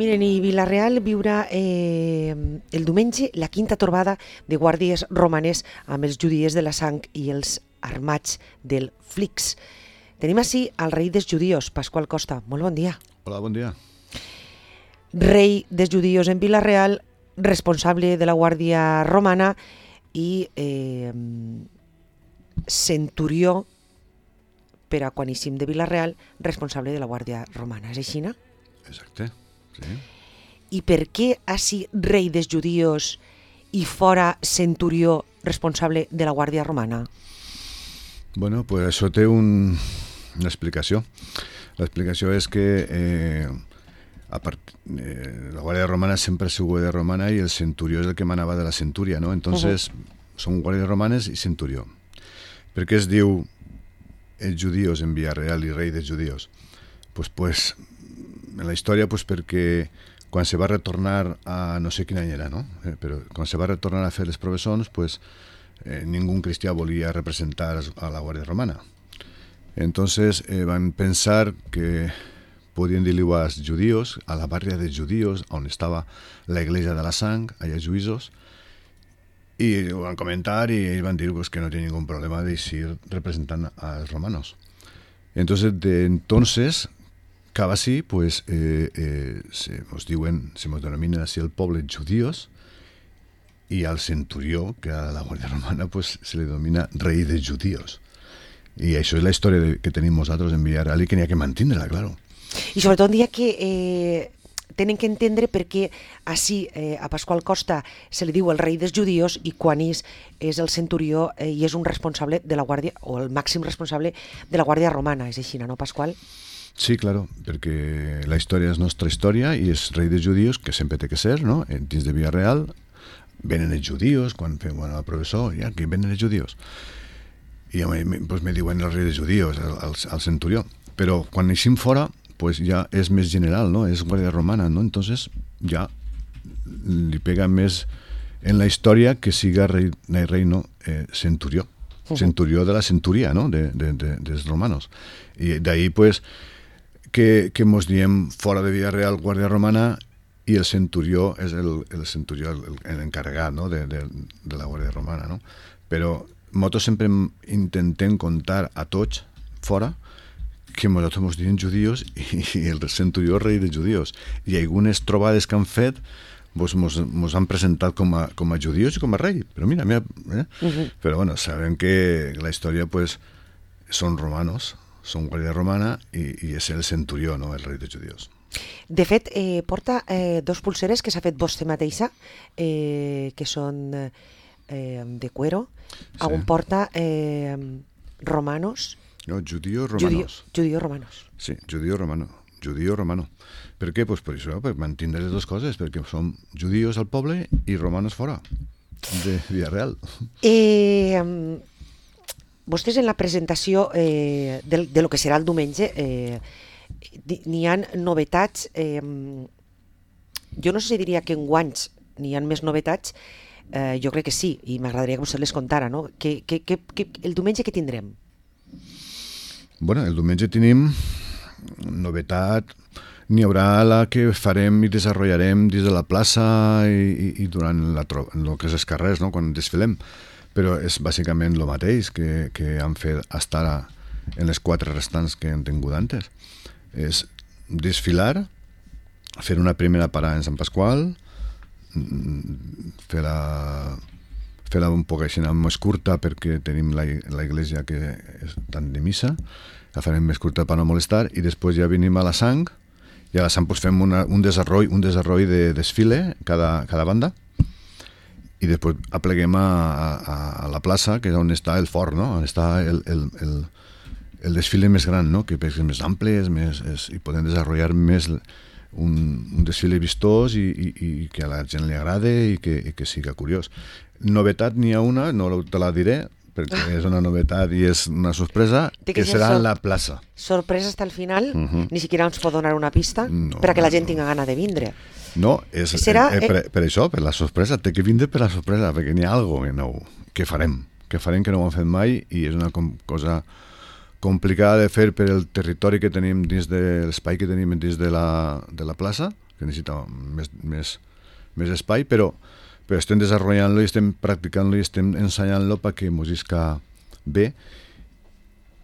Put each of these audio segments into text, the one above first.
Miren, i Vila-real viurà el diumenge la quinta trobada de guàrdies romanes amb els judies de la sang i els armats del Flix. Tenim així al rei dels judios, Pasqual Costa. Molt bon dia. Hola, bon dia. Rei dels judios en Vila-real, responsable de la guàrdia romana i centurió per a quan eixim de Vila-real, responsable de la guàrdia romana. És així, no? Exacte, sí. I per què així rei dels judios i fora centurió responsable de la guàrdia romana? Bueno, pues això té una explicació. L'explicació és que la guàrdia romana sempre ha sigut guàrdia romana i el centurió és el que manava de la centúria, ¿no? Entonces, són guàrdies romanes i centurió. Per què es diu els judios en Vila-real i rei dels judios? Pues en la història, pues perquè quan se va retornar a no sé quin any era, no? Però quan se va retornar a fer les professons, pues ningú cristià volia representar a la guàrdia romana. Entonces van pensar que podien dir-li als judíos, a la barria dels judíos, on estava la iglesia de la sang, allà a Juïsos, i ho van comentar i ells van dir pues, que no tenia ningún problema de ir representant als romanos. Entonces, de entonces, cada así, pues, se nos denomina así el poble judíos, y al centurió, que a la guàrdia romana, pues, se le denomina rei dels judíos. I això és la història que tenim nosaltres en Vila-real i que n'hi ha que mantenir-la, claro. I sobretot un dia que tenen que entendre per què així a Pasqual Costa se li diu el rei dels judios i quan és el centurió i és un responsable de la guàrdia, o el màxim responsable de la guàrdia romana. És així, no, Pasqual? Sí, claro, perquè la història és nostra història i és rei dels judios, que sempre té que ser, no? Dins de Vila-real venen els judios, quan fem el professor, ja que venen els judios. I pues, me diuen el rei dels judios, el centurió. Però quan eixim fora, pues ja és més general, ¿no? És guàrdia romana, ¿no? Entonces ja li pega més en la història que siga rei no, centurió. Centurió de la centuria, ¿no? Dels romanos. I d'ahí, pues, que mos diem fora de Vila-real guàrdia romana i el centurió és el centurió l'encarregat, no? de la guàrdia romana, no? Però nosaltres sempre intentem contar a tots fora que nosaltres ens diem judíos i el centurió rei dels judíos. I algunes trobades que han fet mos han presentat com a judíos i com a rei. Però mira. Però bueno, sabem que la història pues, són romanos, són guàrdia romana i és el centurió, no? El rei dels judíos. De fet, porta dos pulseres que s'ha fet vostè mateixa, que són de cuero, sí. On porta romanos. No, judíos romanos. Judíos romanos. Sí, judío romano. Per què? Pues per això, per mantenir les dues coses, perquè som judíos al poble i romanos fora de Vila-real. Vostès en la presentació de lo que serà el diumenge n'hi ha novetats, jo no sé si diria que enguanys n'hi ha més novetats, jo crec que sí, i m'agradaria que vostè les contara, no? El diumenge què tindrem? Bueno, el diumenge tenim novetat, n'hi haurà la que farem i desenvoluparem dins de la plaça i durant el que és els carrers, no? Quan desfilem, però és bàsicament el mateix que han fet fins ara en les 4 restants que han tingut antes. És desfilar, fer una primera parada en Sant Pasqual, fer-la un poc així més curta perquè tenim la iglesia que és tant de missa, la farem més curta per no molestar i després ja venim a la sang i a la sang pues, fem un desarroll de desfile cada banda i després apleguem a la plaça que és on està el fort, no? On està el desfile més gran, no? Que és més ample i podem desenvolupar més un desfile vistós i que a la gent li agrade i que siga curiós. Novetat n'hi ha una, no te la diré, perquè és una novetat i és una sorpresa, que serà en la plaça. Sorpresa fins al final? Ni siquiera ens pot donar una pista per a que la gent tinga gana de vindre? No, per això, per la sorpresa, té que vindre per la sorpresa, perquè n'hi ha alguna cosa nou que farem que no ho hem fet mai i és una cosa complicada de fer per el territori que tenim dins de l'espai que tenim dins de la plaça, que necessita més espai, però estem desenvolupant-lo i estem practicant-lo i estem ensenyant-lo perquè mos isca bé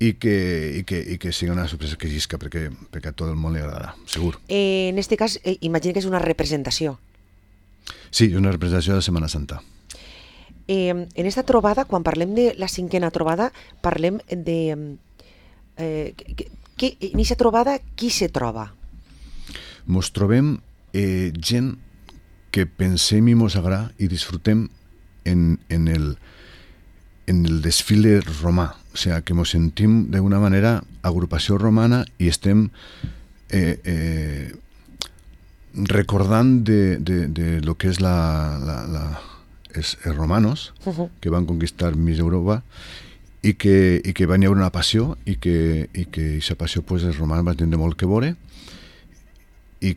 i que sigui una sorpresa que llisca perquè a tot el món li agradarà, segur. En este cas, imagino que és una representació. Sí, és una representació de Setmana Santa. En esta trobada, quan parlem de la 5a trobada, parlem de... en aquesta trobada, qui se troba? Mos trobem gent que pensem i mos agrada i disfrutem en el desfile romà. O sigui, que mos sentim d'una manera agrupació romana i estem recordant de lo que és els romanos que van conquistar mig Europa i que van hi haver una passió i que aquesta passió pues, els romans van tindre molt que veure i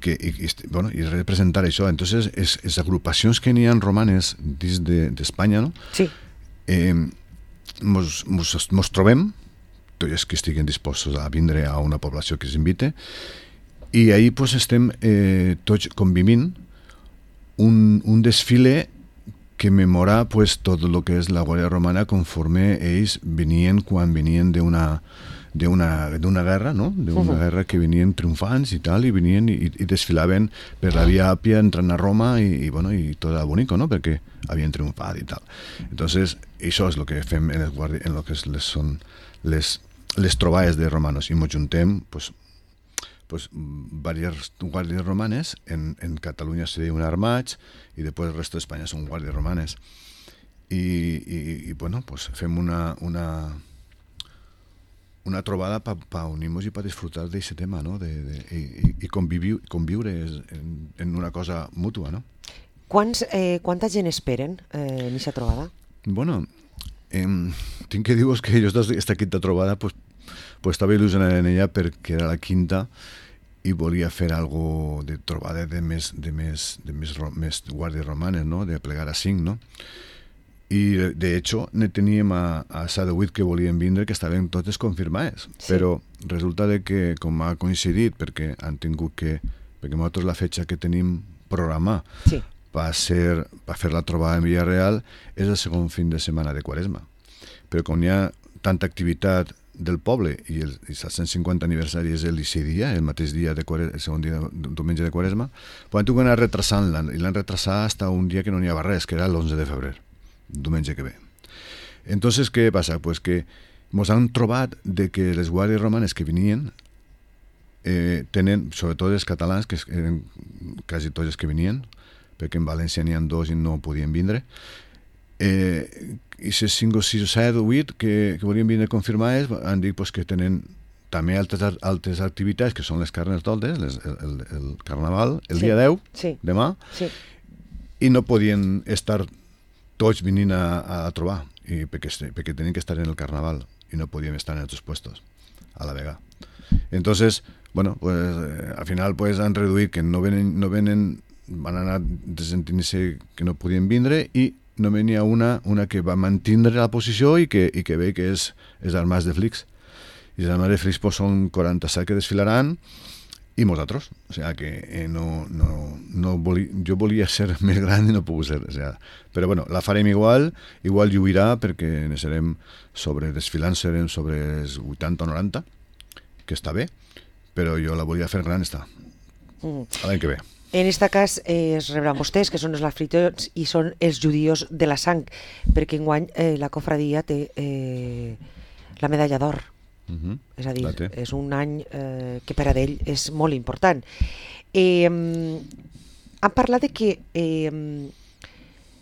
representar això. Entonces, les agrupacions que n'hi ha romanes dins d'Espanya, no? Sí. Mos trobem, tots els que estiguen disposats a vindre a una població que s'invite, i ahir pues, estem tots convivint un desfile que memora pues, tot el que és la Guàrdia Romana conforme ells venien quan venien d'una guerra, no? D'una guerra que venien triomfants i tal, i venien i desfilaven per la Via Àpia entrant a Roma i tot era bonico, no? Perquè havien triomfat i tal. Entonces, això és el que fem en lo que són les trobades de romanos i ens juntem pues, diverses guàrdies romanes. En Catalunya se diuen armats i després el resto d'Espanya són guàrdies romanes i pues, fem una trobada per unir-nos i per disfrutar d'aquest tema, no? I conviure en una cosa mútua, no? Quanta gent esperen en aquesta trobada? Bueno, tinc que dir-vos que jo aquesta quinta trobada pues, estava il·lusionat en ella perquè era la quinta i volia fer algo de trobada de més guàrdies romanes, no? De plegar a 5, no? I de hecho ne teníem a 7 o 8 que volien vindre que estaven totes confirmades, sí. Però resulta de que com ha coincidit perquè han tingut perquè nosaltres la fetxa que tenim programada sí. per fer la trobada en Villarreal és el segon fin de setmana de Quaresma, però com hi ha tanta activitat del poble i el 150 aniversari és el dia, el mateix dia el segon dia diumenge de Quaresma, pues han tingut d'anar retrasant-la i l'han retrasat fins un dia que no n'hi havia res, que era l'11 de febrer, diumenge que ve. Entonces, què passa? Pues que ens han trobat de que les guàrdies romanes que venien tenen, sobretot els catalans, que eren quasi tots els que venien, perquè en València n'hi ha 2 i no podien vindre, i les 5 o 6 o 7 o 8 que volien vindre confirmades han dit pues, que tenen també altres activitats, que són les Carnestoltes, el Carnaval, el dia 10, sí. Demà, sí. I no podien estar tots venint a trobar, perquè tenien que estar en el Carnaval i no podíem estar en altres puestos a la vegada. Entonces, bueno, pues, al final pues, han reduït que no venen, van anar sentint-se que no podien vindre i no venia una que va mantindre la posició i que ve que és armats de Flix. I els armats de Flix pues, són 47 que desfilaran i nosaltres. O sigui que jo volia ser més gran i no puc ser. O sigui, però bueno, la farem igual lluirà perquè serem desfilant serem sobre els 80 o 90, que està bé, però jo la volia fer gran, està. L'any que ve. En aquest cas es rebran vostès, que són els anfitrions i són els judíos de la sang, perquè enguany la cofradia té la medalla d'or. És a dir, és un any que per a ell és molt important. Han parlat de que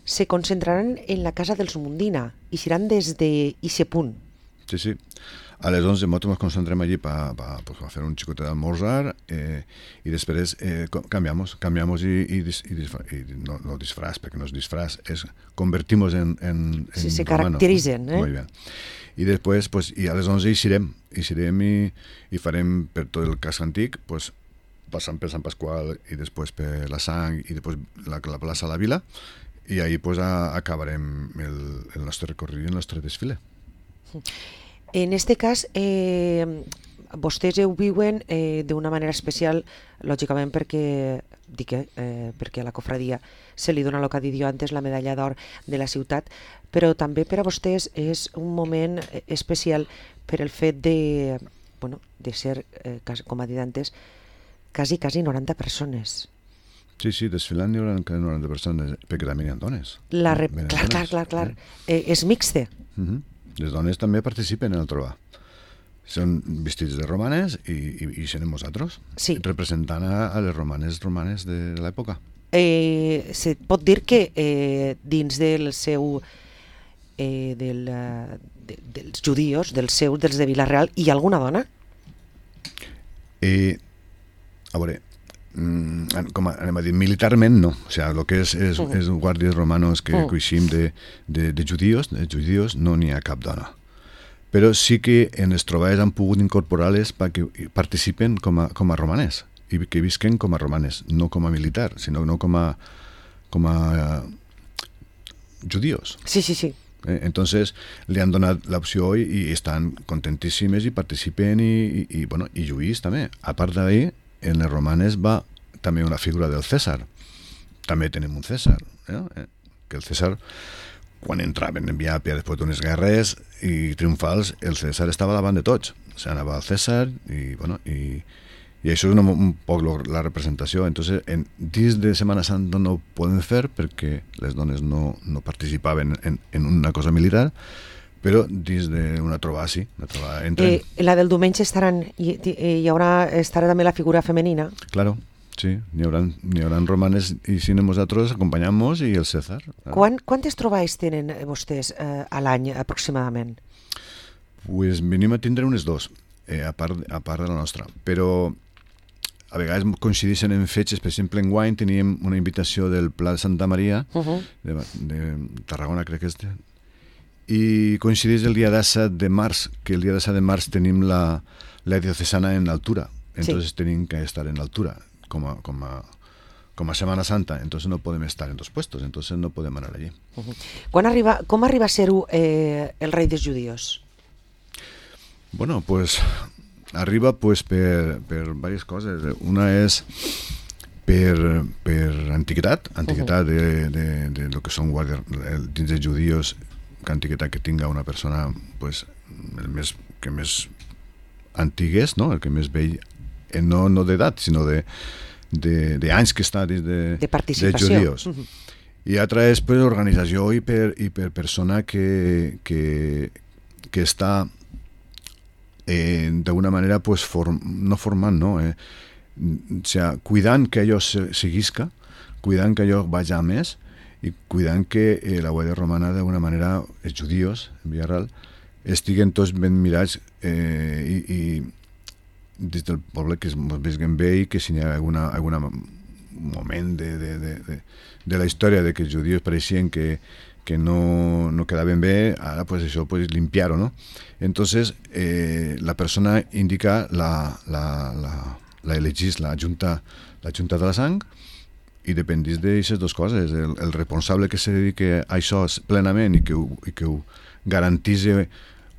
se concentraran en la casa dels Mundina i seran des d'aquest punt. Sí. A les 11 nosaltres ens concentrem allí per fer un xicotet d'almorzar i després canviamos i no disfraz, perquè no és disfraz, és convertimos en sí, se caracteritzen. Muy bien. I després, pues, i a les 11 eixirem i farem per tot el casc antic, pues, passant per Sant Pasqual i després per la Sang i després la plaça de la Vila i ahir pues, acabarem el nostre recorregut i el nostre desfile. En este cas, vostès ho viuen d'una manera especial, lògicament perquè a la cofradia se li dona el que ha dit jo antes, la medalla d'or de la ciutat, però també per a vostès és un moment especial per el fet de ser, com ha dit antes, quasi 90 persones. Sí, desfilant hi haurà 90 persones, perquè també hi ha dones. Clar. És mixte. Les dones també participen en el trobar. Són vestits de romanes i serem nosaltres, representant a les romanes de l'època. Se pot dir que dins del seu dels judíos, dels de Vila-real, hi ha alguna dona? A veure, com anem a dir, militarment no, o sigui, el que és guàrdies romanos que coixim de judíos, no n'hi ha cap dona. Però sí que en les trobades han pogut incorporar-les perquè participen com a romanes i que visquen com a romanes, no com a militar, sinó no com a judíos. Sí. Entonces li han donat l'opció i estan contentíssimes i participen i lluís també. A part d'ahir, en les romanes va també una figura del Cèsar. També tenim un Cèsar, que el Cèsar, quan entraven en Viàpia després d'unes guerres i triomfals, el Cèsar estava davant de tots. O sigui, anava al Cèsar i això és un poc la representació. Entonces, dins de Setmana Santa no ho podem fer perquè les dones no participaven en una cosa militar, però dins d'una trobada sí, entren. La del diumenge estarà també la figura femenina? Claro, sí, n'hi haurà romanes i si nosaltres acompanyamos i el Cèsar. Quantes trobades tenen vostès a l'any aproximadament? Pues venim a tindre unes 2, a part de la nostra, però a vegades coincideixen en fetges. Per exemple, enguany teníem una invitació del Pla de Santa Maria, de Tarragona crec que és, i coincideix el dia 17 de març, que el dia 17 de març tenim la diocesana en altura, entonces tenim que estar en altura, com a Setmana Santa, entonces no podem estar en 2 puestos, entonces no podem anar allí. Com arriba a ser-ho el rei dels judíos? Bueno, pues arriba pues per diverses coses. Una és per antiguitat de lo que són guàrdies dins dels judíos, que antiguitat que tinga una persona pues el que més antigues, no? El que més vell, no d'edat, sinó d'anys que està dins de participació dels judíos. I altra és per organització i per persona que està d'alguna manera pues no formant, no? O sea, cuidant que allò seguisca, cuidant que allò vagi a més i cuidant que la guàrdia romana d'alguna manera, els judíos en Vila-real, estiguen tots ben mirats i des del poble que es veguen bé i que si hi ha algun moment de la història de que els judíos pareixien que no quedaven bé, ara pues això pues limpiar-ho, ¿no? Entonces la persona indica la elegís la junta de la sang i dependís d'aquestes 2 coses. El responsable que se dedique a això plenament i que ho garantís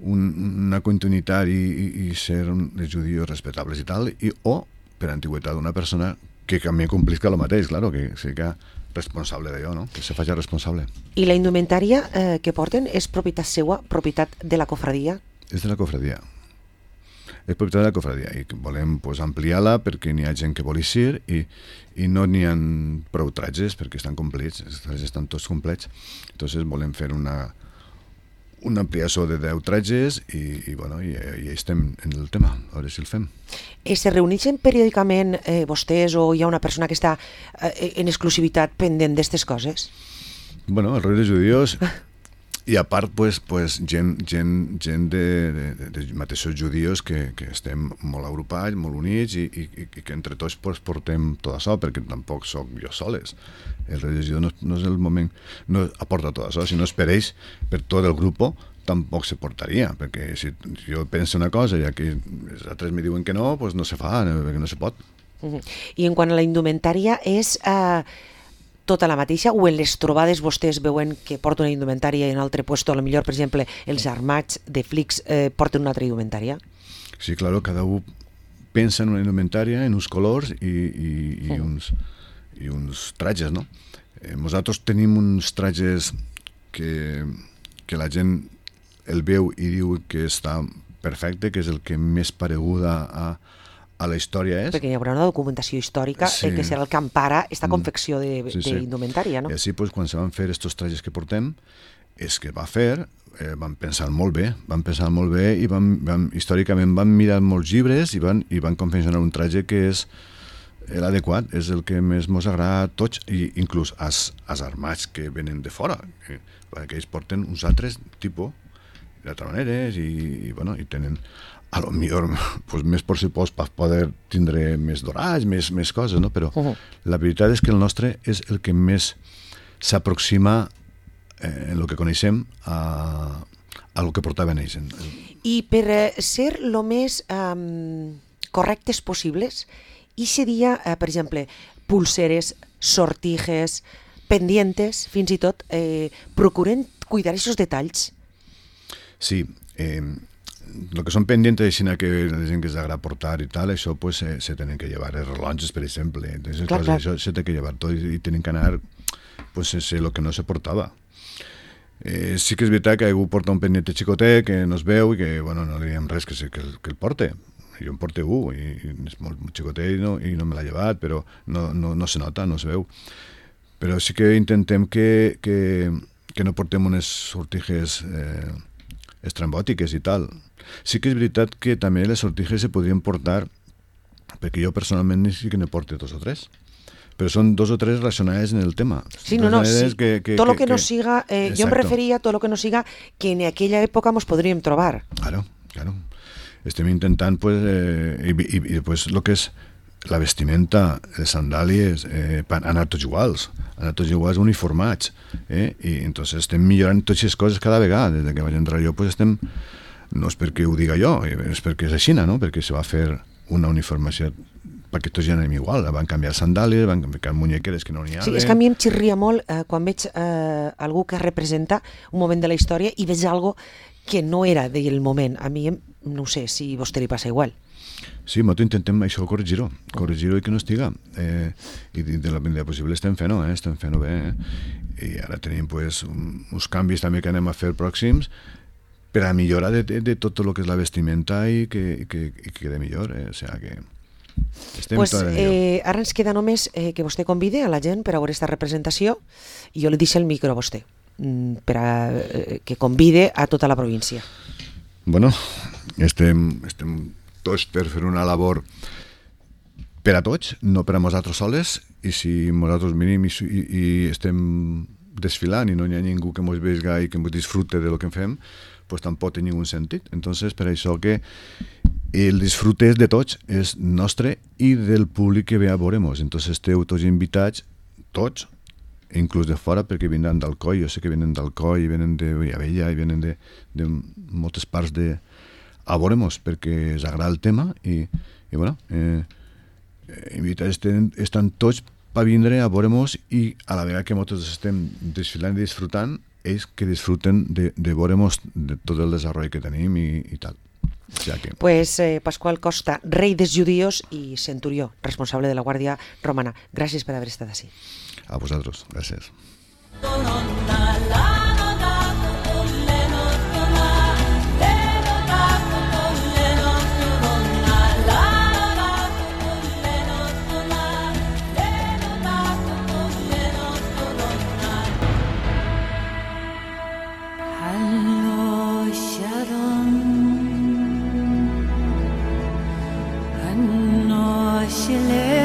una continuïtat i ser els judíos respectables i tal, o per antiguitat una persona que també complisca el mateix, claro, que sigui responsable d'allò, no? Que se faci responsable. I la indumentària que porten és propietat seua, propietat de la cofradia? És de la cofradia. És propietat de la cofradia i volem ampliar-la perquè n'hi ha gent que vol eixir i no n'hi ha prou tratges perquè estan complets, els tratges estan tots complets. Entonces volem fer una ampliació de 10 tratges i estem en el tema, a veure si el fem. Se reuneixen periòdicament vostès o hi ha una persona que està en exclusivitat pendent d'aquestes coses? Bueno, el rei dels judíos i a part gent de mateixos judíos que estem molt agrupats, molt units i que entre tots portem tot això, perquè tampoc soc jo soles. El rei dels judíos no és el moment, no aporta tot això, si no es per ells, per tot el grup tampoc se portaria, perquè si jo penso una cosa i aquí els altres me diuen que no, doncs no se fa, perquè no se pot. I en quant a la indumentària, és tota la mateixa o en les trobades vostès veuen que porta una indumentària i en un altre lloc, potser per exemple els armats de flics porten una altra indumentària? Sí, claro, cada un pensa en una indumentària, en uns colors i uns trajes, no? Nosaltres tenim uns trajes que la gent el veu i diu que està perfecte, que és el que més paregut a la història és. Perquè hi haurà una documentació històrica que serà el que empara aquesta confecció d'indumentària, no? I així, quan se van fer estos trajes que portem, és que va fer, van pensar molt bé i històricament van mirar molts llibres i van confeccionar un traje que és l'adequat, és el que més ens agrada a tots, i inclús als armats que venen de fora, que ells porten uns altres tipus d'altres maneres i tenen a lo millor pues, més pressupost per poder tindre més dorats, més coses, no? Però la veritat és que el nostre és el que més s'aproxima en el que coneixem a el que portaven ells. I per ser el més correctes possibles, i seria, per exemple, pulseres, sortijes, pendientes, fins i tot, procuren cuidar aquests detalls. Sí, lo que són pendientes així que la gent que s'agrada portar i tal, això pues se tenen que llevar, els rellotges, per exemple, entonces, clar. Això se té que llevar tot i tenen que anar pues sense el que no se portava. Sí que és veritat que algú porta un pendiente xicotet que no es veu i que no li diem res que el porte. Jo em porto un i és molt xicotet i no me l'ha llevat, però no se nota, no es veu. Però sí que intentem que no portem unes sortijes estrambòtiques i tal. Sí que és veritat que també les sortijes se podrien portar, perquè jo personalment sí que ne porto 2 o 3, però són 2 o 3 relacionades en el tema. Sí, sí. Tot lo que no siga, jo em referia a tot lo que no siga que en aquella època ens podríem trobar. Claro. Estem intentant, pues, i pues, lo que és la vestimenta, les sandàlies, anar tots iguals uniformats, i entonces estem millorant totes les coses cada vegada. Des que vaig entrar jo, pues estem, no és perquè ho diga jo, és perquè és així, no? Perquè se va fer una uniformació perquè tots ja anem igual, van canviar sandàlies, van canviar muñequeres que no n'hi ha. Sí, és que a mi em xirria molt quan veig algú que representa un moment de la història i veig algo que no era del moment. A mi, no sé si a vostè li passa igual. Sí, nosaltres intentem això corregir-ho i que no estiga. I de la manera possible estem fent-ho bé. I ara tenim pues, uns canvis també que anem a fer pròxims per a millorar de tot el que és la vestimenta i que quede millor. O sigui que estem pues, ara ens queda només que vostè convide a la gent per a veure aquesta representació i jo li deixo el micro a vostè per a que convide a tota la província. Bueno, estem tots per fer una labor per a tots, no per a nosaltres soles, i si nosaltres venim i estem desfilant i no hi ha ningú que ens vegi i que ens disfrute de lo que fem, pues tampoc té ningú sentit. Entonces, per això que el disfrute és de tots, és nostre i del públic que ve a veure-nos. Entonces, esteu tots invitats, tots, inclús de fora, perquè venen d'Alcoi, jo sé que venen d'Alcoi, venen de Villavella, i venen de moltes parts a veure-nos, perquè els agrada el tema, i bueno, invitats estan tots per vindre a veure-nos i a la vegada que nosaltres estem desfilant i disfrutant, ells que disfruten de veure-nos de tot el desenvolupament que tenim i tal. Pues Pasqual Costa, rei dels judíos i centurió, responsable de la Guàrdia Romana. Gràcies per haver estat així. A vosaltres, gràcies. Shile